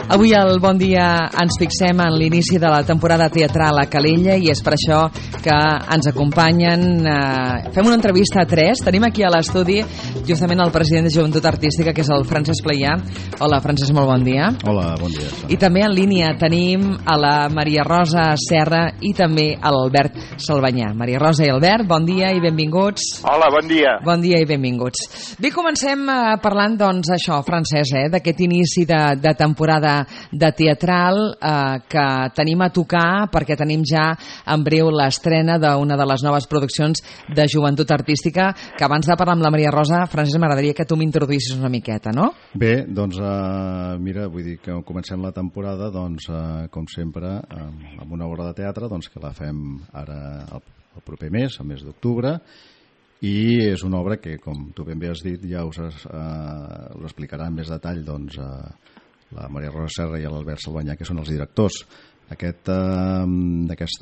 Avui al Bon Dia ens fixem en l'inici de la temporada teatral a Calella i és per això que ens acompanyen. Fem una entrevista a tres. Tenim aquí a l'estudi justament el president de Joventut Artística, que és el Francesc Playà. Hola, Francesc, molt bon dia. Hola, bon dia. I també en línia tenim a la Maria Rosa Serra i també a l'Albert Salvanyà. Maria Rosa i Albert, bon dia i benvinguts. Hola, bon dia. Bon dia i benvinguts. Bé, comencem parlant, doncs, això, Francesc, d'aquest inici de temporada de teatral que tenim a tocar perquè tenim ja en breu l'estrena d'una de les noves produccions de Joventut Artística, que abans de parlar amb la Maria Rosa, Francesc, m'agradaria que tu m'introduïssis una miqueta, no? Bé, doncs mira, vull dir que comencem la temporada, doncs, com sempre, amb una obra de teatre, doncs, que la fem ara el proper mes, el mes d'octubre, i és una obra que, com tu ben bé has dit, ja us explicarà en més detall, doncs, la Maria Rosa Serra i l'Albert Salvanyà, que són els directors. Aquesta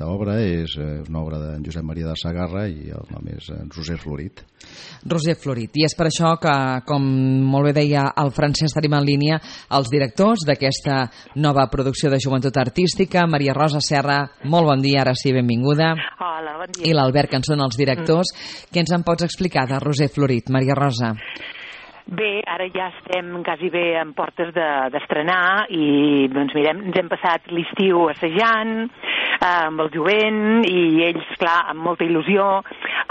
obra és una obra d'en Josep Maria de Sagarra i el nom és Roser Florit. Roser Florit. I és per això que, com molt bé deia el Francesc, tenim en línia els directors d'aquesta nova producció de Joventut Artística. Maria Rosa Serra, molt bon dia, ara sí, benvinguda. Hola, bon dia. I l'Albert, que en són els directors. Què ens en pots explicar de Roser Florit, Maria Rosa? Bé, ara ja estem quasi bé en portes d'estrenar i doncs mirem, ens hem passat l'estiu assajant amb el jovent i ells, clar, amb molta il·lusió,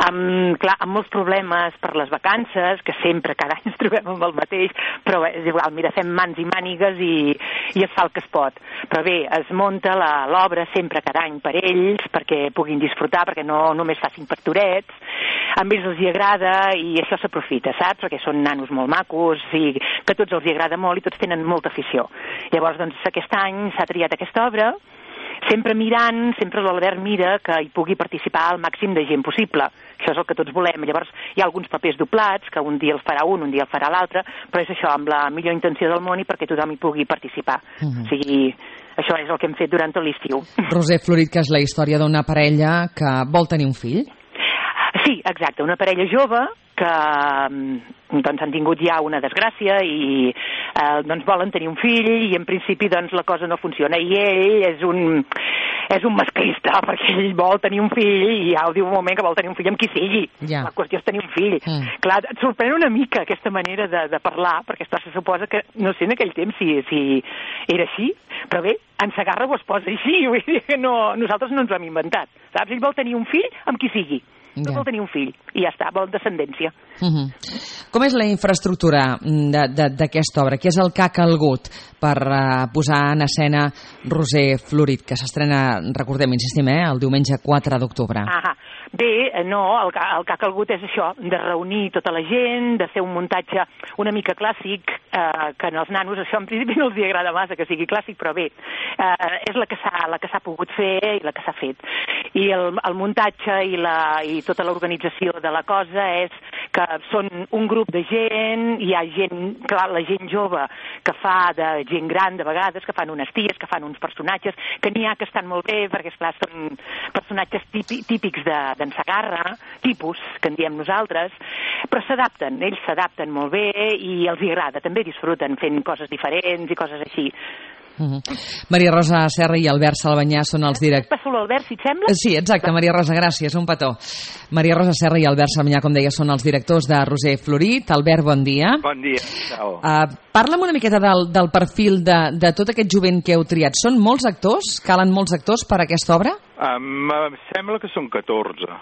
amb molts problemes per les vacances, que sempre, cada any ens trobem amb el mateix, però és igual, mira, fem mans i mànigues i es fa el que es pot. Però bé, es munta l'obra sempre cada any per ells, perquè puguin disfrutar, perquè no només facin pastorets, a ells els hi agrada i això s'aprofita, saps? Perquè són nanos molt macos i que a tots els hi agrada molt i tots tenen molta afició. Llavors, doncs, aquest any s'ha triat aquesta obra, sempre mirant, sempre l'Albert mira que hi pugui participar el màxim de gent possible. Això és el que tots volem. Llavors, hi ha alguns papers doblats, que un dia el farà un dia el farà l'altre, però és això, amb la millor intenció del món i perquè tothom hi pugui participar. O sigui, això és el que hem fet durant tot l'estiu. Roser Florit, que és la història d'una parella que vol tenir un fill? Sí, exacte, una parella jove que doncs han tingut ja una desgràcia i doncs volen tenir un fill i en principi doncs la cosa no funciona i ell és un masclista perquè ell vol tenir un fill i ja ho diu un moment que vol tenir un fill amb qui sigui. La qüestió és tenir un fill. Clar, et sorprèn una mica aquesta manera de parlar, perquè se suposa que, no sé en aquell temps si era així, però bé, en Sagarra ho es posa així, vull dir que nosaltres no ens ho hem inventat, saps? Ell vol tenir un fill amb qui sigui. No vol tenir un fill i ja està, vol descendència. Com és la infraestructura d'aquesta obra? Què és el que ha calgut per posar en escena Roser Florit, que s'estrena, recordem, insistim, el diumenge 4 d'octubre? Bé, no, el que ha calgut és això, de reunir tota la gent, de fer un muntatge una mica clàssic, que als nanos això en principi no els agrada massa que sigui clàssic, però bé, és la que s'ha pogut fer i la que s'ha fet. I el muntatge i tota l'organització de la cosa és que són un grup de gent, hi ha gent, clar, la gent jove que fa de gent gran de vegades, que fan unes ties, que fan uns personatges, que n'hi ha que estan molt bé, perquè esclar, són personatges típics d'en Sagarra, tipus, que en diem nosaltres, però s'adapten, ells s'adapten molt bé i els hi agrada, també disfruten fent coses diferents i coses així. Maria Rosa Serra i Albert Salvanyà són els directors. Passo l'Albert, si et sembla? Sí, exacte, Maria Rosa, gràcies, un petó. Maria Rosa Serra i Albert Salvanyà, com deia, són els directors de Roser Florit. Albert, bon dia. Bon dia. Parla'm una miqueta del perfil de tot aquest jovent que heu triat. Són molts actors? Calen molts actors per a aquesta obra? Em sembla que són 14.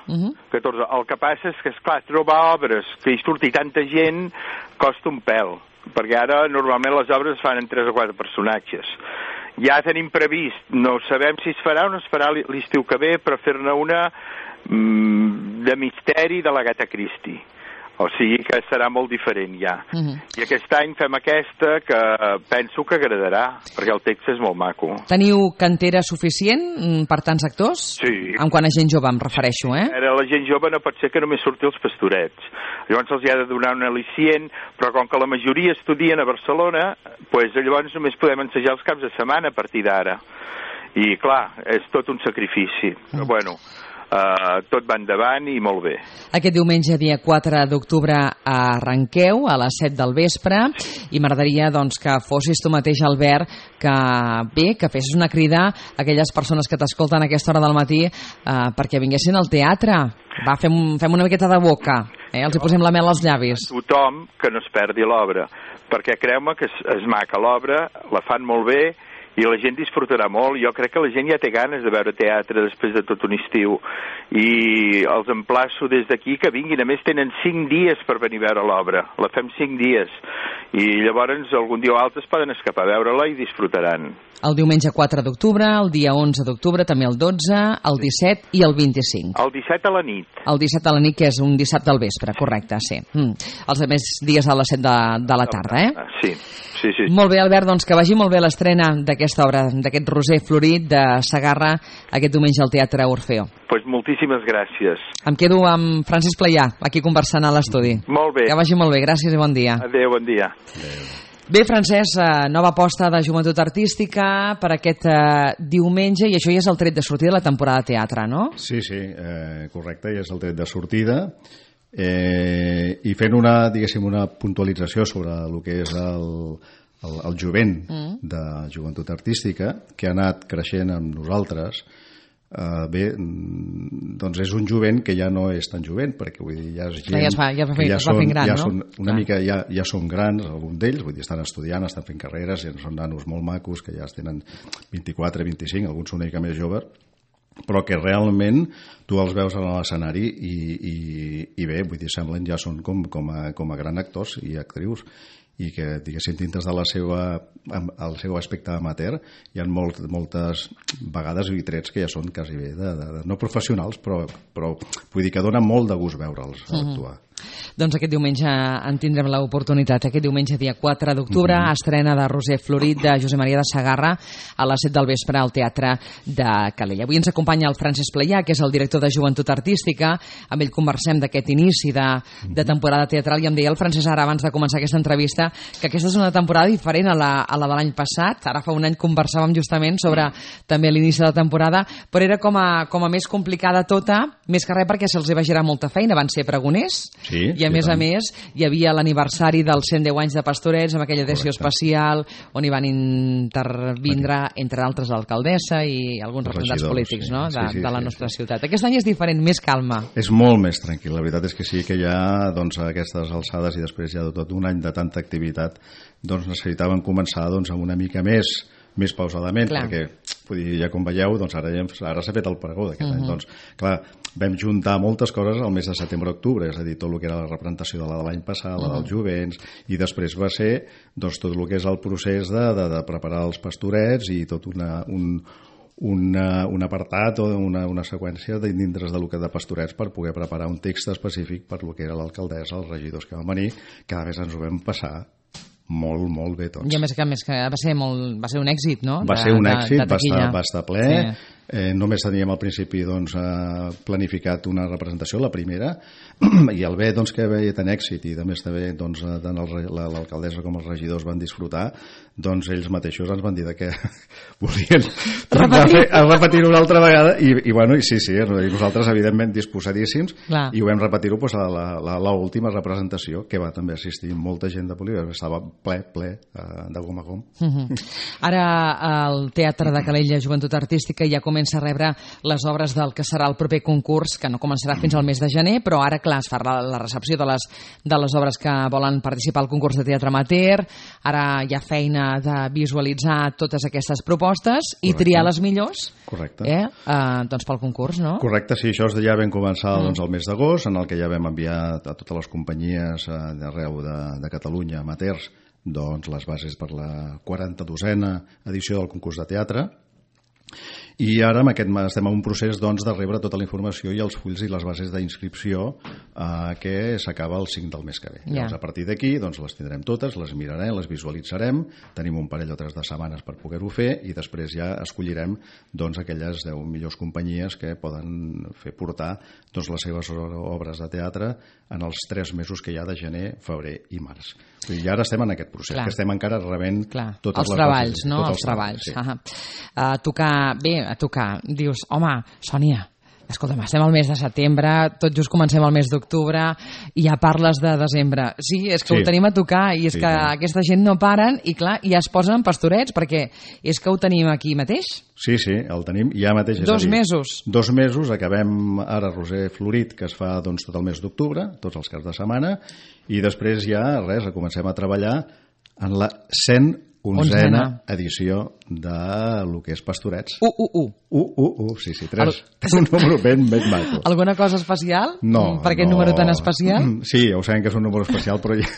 14. El que passa és que, esclar, trobar obres que hi surti tanta gent costa un pèl, perquè ara normalment les obres es fan en 3 o 4 personatges. Ja tenim previst, no sabem si es farà o no es farà l'estiu que ve, però fer-ne una de misteri de l'Agatha Christie. O sigui que serà molt diferent ja. I aquest any fem aquesta que penso que agradarà, perquè el text és molt maco. Teniu cantera suficient per tants actors? Sí. En quant a gent jove em refereixo, Ara la gent jove no pot ser que només surti els pastorets. Llavors els hi ha de donar un al·licient, però com que la majoria estudien a Barcelona, doncs llavors només podem ensejar els caps de setmana a partir d'ara. I clar, és tot un sacrifici. Però bueno, tot va endavant i molt bé. Aquest diumenge, dia 4 d'octubre, arrenqueu a les 7 del vespre i m'agradaria doncs, que fossis tu mateix, Albert, que fessis una crida a aquelles persones que t'escolten a aquesta hora del matí perquè vinguessin al teatre. Va, fem una miqueta de boca, els hi posem la mel als llavis. Tothom que no es perdi l'obra, perquè creu-me que és maca l'obra, la fan molt bé, i la gent disfrutarà molt. Jo crec que la gent ja té ganes de veure teatre després de tot un estiu i els emplaço des d'aquí que vinguin. A més tenen 5 dies per venir a veure l'obra, la fem 5 dies i llavors algun dia o altre es poden escapar a veure-la i disfrutaran. El diumenge 4 d'octubre, el dia 11 d'octubre, també el 12, el 17 i el 25. El 17 a la nit. El 17 a la nit, que és un dissabte al vespre, correcte, sí. Els altres dies a les 7 de la tarda, Sí. Molt bé, Albert, doncs que vagi molt bé l'estrena d'aquesta obra, d'aquest Roser Florit de Segarra, aquest diumenge al Teatre Orfeo. Pues moltíssimes gràcies. Em quedo amb Francesc Playà, aquí conversant a l'estudi. Molt bé. Que vagi molt bé, gràcies i bon dia. Adéu, bon dia. Bé, Francesc, nova aposta de joventut artística per aquest diumenge, i això ja és el tret de sortida de la temporada de teatre, no? Sí, correcte, ja és el tret de sortida. I fent una puntualització sobre el que és el jovent de joventut artística, que ha anat creixent amb nosaltres. Bé, doncs és un jovent que ja no és tan jovent, perquè vull dir, ja és gent que ja són grans, alguns d'ells, vull dir, estan estudiant, estan fent carreres, ja són nanos molt macos, que ja tenen 24, 25, alguns són una mica més joves, però que realment tu els veus a l'escenari i bé, vull dir, semblen ja són com a grans actors i actrius, i que, diguéssim, dintre del seu aspecte amateur hi ha moltes vegades i trets que ja són quasi bé no professionals, però vull dir que dona molt de gust veure'ls actuar. Doncs aquest diumenge en tindrem l'oportunitat. Aquest diumenge, dia 4 d'octubre, estrena de Roser Florit de Josep Maria de Segarra a les 7 del vespre al Teatre de Calella. Avui ens acompanya el Francesc Playà, que és el director de Joventut Artística. Amb ell conversem d'aquest inici de temporada teatral i em deia el Francesc ara, abans de començar aquesta entrevista, que aquesta és una temporada diferent a la de l'any passat. Ara fa un any conversàvem justament sobre també l'inici de la temporada, però era com a més complicada tota, més que res perquè se'ls va girar molta feina. Van ser pregoners, i a més hi havia l'aniversari dels 110 anys de Pastorets amb aquella edició especial on hi van intervindre entre altres l'alcaldessa i alguns representants polítics de la nostra ciutat. Aquest any és diferent, més calma. És molt més tranquil, la veritat és que sí, que ja doncs, a aquestes alçades i després ja de tot un any de tanta activitat doncs necessitàvem començar amb una mica més pausadament, perquè ja com veieu doncs ara s'ha fet el pregó d'aquest any, doncs clar, vam juntar moltes coses al mes de setembre-octubre, és a dir, tot el que era la representació de l'any passat, la dels jovents, i després va ser doncs, tot el que és el procés de preparar els pastorets i tot un apartat o una seqüència dintre de pastorets per poder preparar un text específic per el que era l'alcaldessa, els regidors que van venir, cada vegada ens ho vam passar molt, molt bé tots. I a més que va ser un èxit, no? Va ser un èxit, va estar ple. Sí. Només teníem al principi planificat una representació, la primera, i el bé que veia tant èxit i també està bé tant l'alcaldessa com els regidors van disfrutar, doncs ells mateixos ens van dir que volien repetir-ho una altra vegada i sí, nosaltres evidentment disposadíssims i ho vam repetir-ho a l'última representació, que va també assistir molta gent de Poliva, estava ple de gom a gom. Ara el Teatre de Calella Joventut Artística ja comença a rebre les obres del que serà el proper concurs, que no començarà fins al mes de gener, però ara, clar, es fa la recepció de les obres que volen participar al concurs de teatre amateur. Ara hi ha feina de visualitzar totes aquestes propostes i triar les millors doncs pel concurs, no? Correcte, sí, això ja vam començar el mes d'agost, en el que ja vam enviar a totes les companyies d'arreu de Catalunya, amateurs, doncs les bases per la 42a edició del concurs de teatre. I ara estem en un procés de rebre tota la informació i els fulls i les bases d'inscripció que s'acaba el 5 del mes que ve. Llavors, a partir d'aquí les tindrem totes, les mirarem, les visualitzarem, tenim un parell o tres de setmanes per poder-ho fer i després ja escollirem aquelles 10 millors companyies que poden fer portar les seves obres de teatre en els 3 mesos que hi ha de gener, febrer i març. I ara estem en aquest procés, que estem encara rebent totes les treballs, no? Els treballs. A tocar, dius, home, Sònia, Escolta'm, estem al mes de setembre, tot just comencem el mes d'octubre i ja parles de desembre. Sí, és que ho tenim a tocar i és que aquesta gent no paren i clar, ja es posen pastorets perquè és que ho tenim aquí mateix. Sí, el tenim ja mateix. 2 mesos. 2 mesos, acabem ara Roser Florit, que es fa doncs, tot el mes d'octubre, tots els caps de setmana, i després ja, res, comencem a treballar en la 111a edició de lo que és Pastorets. 111. Sí, 3. Un número ben maco. Alguna cosa especial? No. Per aquest número tan especial? Sí, ja ho sabem que és un número especial, però ja...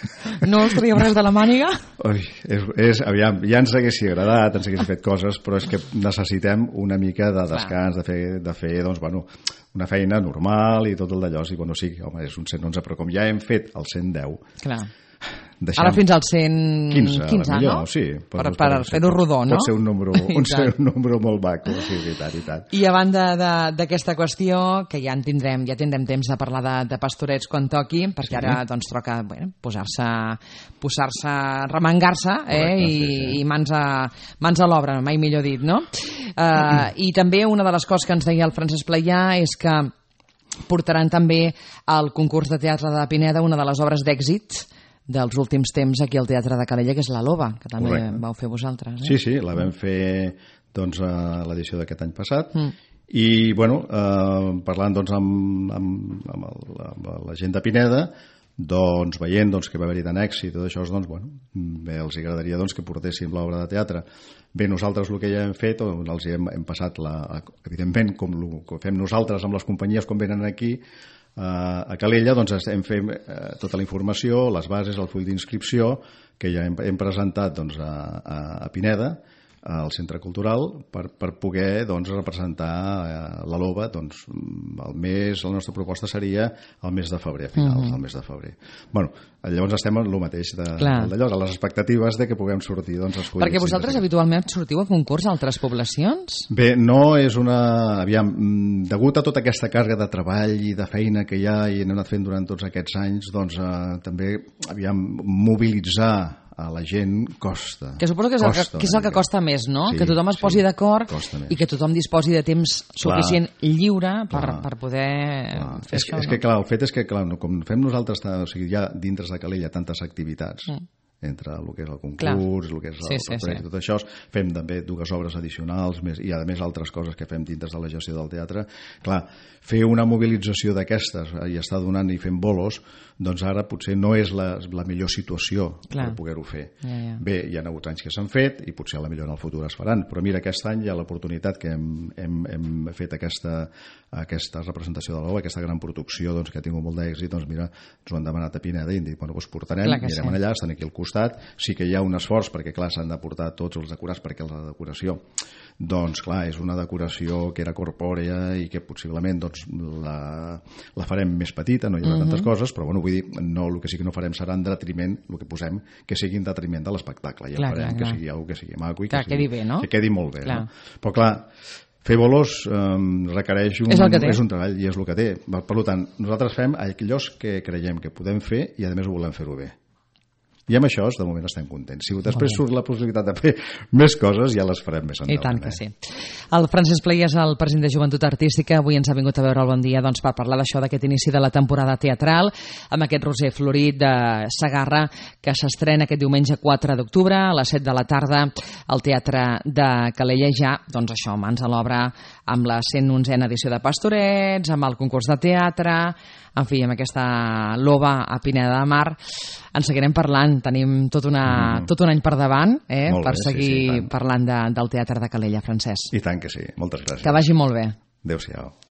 No us traiem res de la màniga? Aviam, ja ens haguessin agradat, ens haguessin fet coses, però és que necessitem una mica de descans, de fer doncs, bueno, una feina normal i tot el d'allò. Sí, bueno, sí, home, és un 111, però com ja hem fet el 110... Clar. Ara fins al 115, no? Sí, per fer-ho rodó, no? Pot ser un número molt maco, sí, i tant. I a banda d'aquesta qüestió, que ja tindrem temps de parlar de pastorets quan toqui, perquè ara doncs toca posar-se, remengar-se, i mans a l'obra, mai millor dit, no? I també una de les coses que ens deia el Francesc Playà és que portaran també al concurs de teatre de Pineda una de les obres d'èxit dels últims temps aquí al Teatre de Calella, que és La Loba, que també vau fer vosaltres. Sí, la vam fer doncs, a l'edició d'aquest any passat. I, bueno, parlant doncs, amb la gent de Pineda, doncs, veient que va haver-hi tant èxit i tot això, doncs, bueno, bé, els agradaria doncs, que portéssim l'obra de teatre. Bé, nosaltres el que ja hem fet, els hem passat, evidentment, com el que fem nosaltres amb les companyies quan venen aquí, a Calella, doncs hem fet tota la informació, les bases, el full d'inscripció que ja hem presentat doncs, a Pineda, al Centre Cultural, per poder doncs, representar la Loba. Doncs, la nostra proposta seria el mes de febrer, a finals del mes de febrer. Bueno, llavors estem en el mateix d'allò, a les expectatives de que puguem sortir doncs, escollir. Perquè vosaltres habitualment sortiu a concurs a altres poblacions? Bé, no és una... Aviam, degut a tota aquesta càrrega de treball i de feina que hi ha i hem anat fent durant tots aquests anys, doncs també, mobilitzar a la gent costa. Que suposo que és el que costa més, no? Sí, que tothom es posi d'acord i que tothom disposi de temps suficient lliure per poder fer això. És que, clar, el fet és que, clar, com fem nosaltres, o sigui, hi ha dintre de Calella tantes activitats, entre el que és el concurs, el que és el projecte, tot això, fem també 2 obres addicionals i a més altres coses que fem dintre de la gestió del teatre. Clar, fer una mobilització d'aquestes i estar donant i fent bolos, doncs ara potser no és la millor situació per poder-ho fer. Bé, hi ha hagut anys que s'han fet i potser a la millor en el futur es faran, però mira, aquest any hi ha l'oportunitat que hem fet aquesta representació de l'obra, aquesta gran producció que ha tingut molt d'èxit, doncs mira, ens ho han demanat a Pineda i hem dit, bueno, doncs portarem, anirem allà, estan aquí al costat. Sí que hi ha un esforç perquè, clar, s'han de portar tots els decorats perquè la decoració, doncs, clar, és una decoració que era corpòrea i que possiblement doncs, la farem més petita, no hi haurà tantes coses, però, bueno, vull dir, el que sí que no farem serà en detriment, el que posem, que sigui en detriment de l'espectacle. Ja farem que sigui alguna que sigui maco i que quedi bé, no? Que quedi molt bé. No? Però, clar, fer bolos requereix un treball i és el que té. Per tant, nosaltres fem allò que creiem que podem fer i, a més, ho volem fer-ho bé. I amb això, de moment, estem contents. Si després surt la possibilitat de fer més coses, ja les farem més endavant. I tant que sí. El Francesc Playà és el president de Joventut Artística. Avui ens ha vingut a veure el Bon Dia per parlar d'això, d'aquest inici de la temporada teatral, amb aquest Roser Florit de Segarra, que s'estrena aquest diumenge 4 d'octubre a les 7 de la tarda al Teatre de Calella. Ja, doncs això, mans a l'obra amb la 111a edició de Pastorets, amb el concurs de teatre, en fi, amb aquesta Loba a Pineda de Mar. En seguirem parlant, tenim tot un any per davant per seguir parlant del Teatre de Calella, Francesc. I tant que sí, moltes gràcies. Que vagi molt bé. Adéu-siau.